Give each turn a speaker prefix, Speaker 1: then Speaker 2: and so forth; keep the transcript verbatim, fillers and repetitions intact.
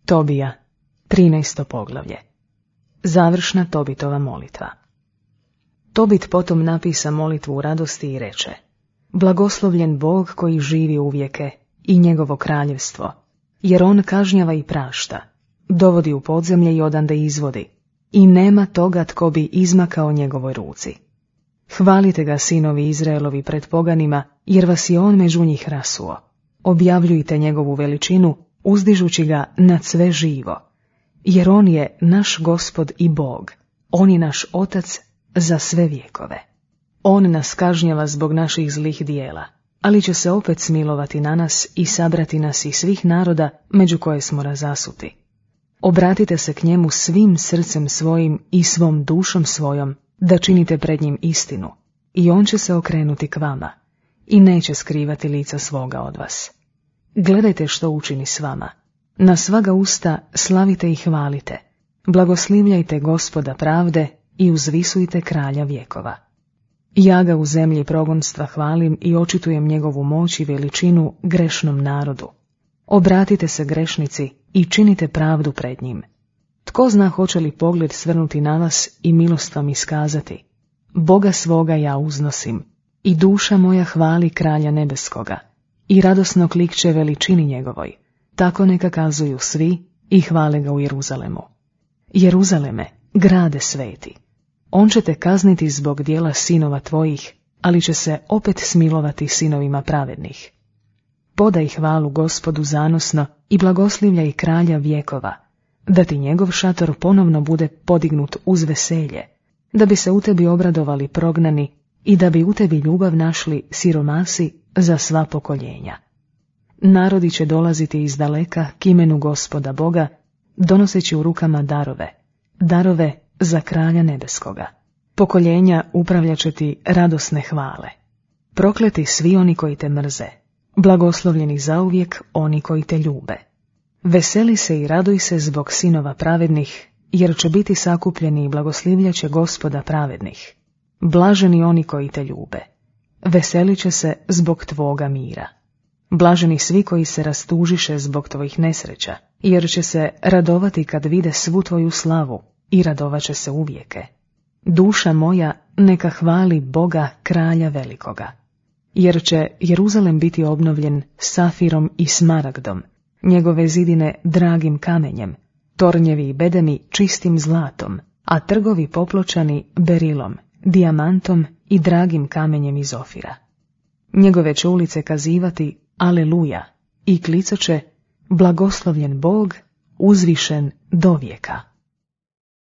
Speaker 1: Tobija, trinaesto poglavlje. Završna Tobitova molitva. Tobit potom napisa molitvu u radosti i reče: Blagoslovljen Bog koji živi uvijeke i njegovo kraljevstvo, jer on kažnjava i prašta, dovodi u podzemlje i odande izvodi, i nema toga tko bi izmakao njegovoj ruci. Hvalite ga, sinovi Izraelovi, pred poganima, jer vas je on među njih rasuo. Objavljujte njegovu veličinu, uzdižući ga nad sve živo, jer on je naš Gospod i Bog, on je naš Otac za sve vjekove. On nas kažnjava zbog naših zlih dijela, ali će se opet smilovati na nas i sabrati nas iz svih naroda među koje smo razasuti. Obratite se k njemu svim srcem svojim i svom dušom svojom, da činite pred njim istinu, i on će se okrenuti k vama i neće skrivati lica svoga od vas. Gledajte što učini s vama. Na svaga usta slavite i hvalite. Blagoslivljajte Gospoda pravde i uzvisujte kralja vjekova. Ja ga u zemlji progonstva hvalim i očitujem njegovu moć i veličinu grešnom narodu. Obratite se grešnici i činite pravdu pred njim. Tko zna hoće li pogled svrnuti na vas i milost vam iskazati? Boga svoga ja uznosim i duša moja hvali kralja nebeskoga i radosno klikće veličini njegovoj. Tako neka kazuju svi i hvale ga u Jeruzalemu. Jeruzaleme, grade sveti, on će te kazniti zbog dijela sinova tvojih, ali će se opet smilovati sinovima pravednih. Podaj hvalu Gospodu zanosno i blagoslivljaj kralja vjekova, da ti njegov šator ponovno bude podignut uz veselje, da bi se u tebi obradovali prognani i da bi u tebi ljubav našli siromasi za sva pokoljenja. Narodi će dolaziti iz daleka k imenu Gospoda Boga, donoseći u rukama darove, darove za kralja nebeskoga. Pokoljenja upravljat će ti radosne hvale. Prokleti svi oni koji te mrze, blagoslovljeni zauvijek oni koji te ljube. Veseli se i raduj se zbog sinova pravednih, jer će biti sakupljeni i blagoslivljat će Gospoda pravednih. Blaženi oni koji te ljube, veselit će se zbog tvoga mira. Blaženi svi koji se rastužiše zbog tvojih nesreća, jer će se radovati kad vide svu tvoju slavu i radovat će se uvijeke. Duša moja neka hvali Boga kralja velikoga, jer će Jeruzalem biti obnovljen safirom i smaragdom, njegove zidine dragim kamenjem, tornjevi i bedemi čistim zlatom, a trgovi popločani berilom, dijamantom i dragim kamenjem iz Ofira. Njegove će ulice kazivati Aleluja i klicat će blagoslovljen Bog uzvišen do vijeka.